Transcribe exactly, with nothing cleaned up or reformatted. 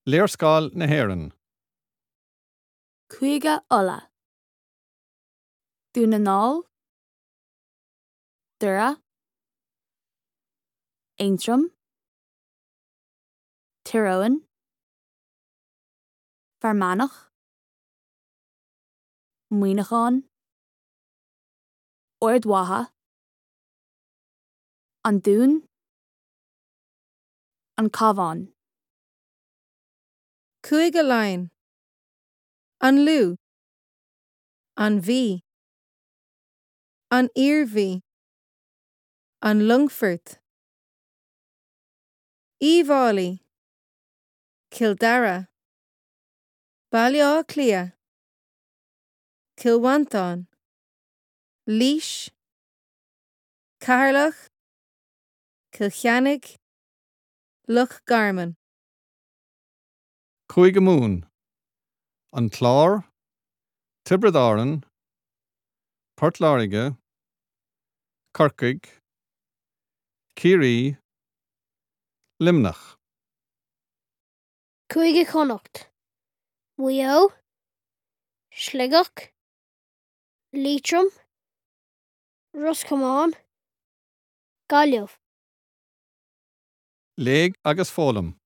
Léarscáil na hÉireann. Cúige Uladh. Dún na nGall, Doire, Aontroim, Tír Eoghain, Fear Manach, Muineachán, Ard Mhacha, An Dún, An Cabhán. Cúige Laighean. An Lú. An Mhí. An Iarmhí. An Longfort. Uíbh Fhailí. Cill Dara. Baile Átha Cliath. Cill Mhantáin. Laois. Ceatharlach. Cill Chainnigh. Loch Garman. Cúige Mumhan. An Clár, Tiobraid Árann, Port Láirge, Corcaigh, Ciarraí, Luimneach. Cúige Chonnacht. Maigh Eo, Sligeach, Liatroim, Ros Comáin, Gaillimh. Léigh agus foghlaim.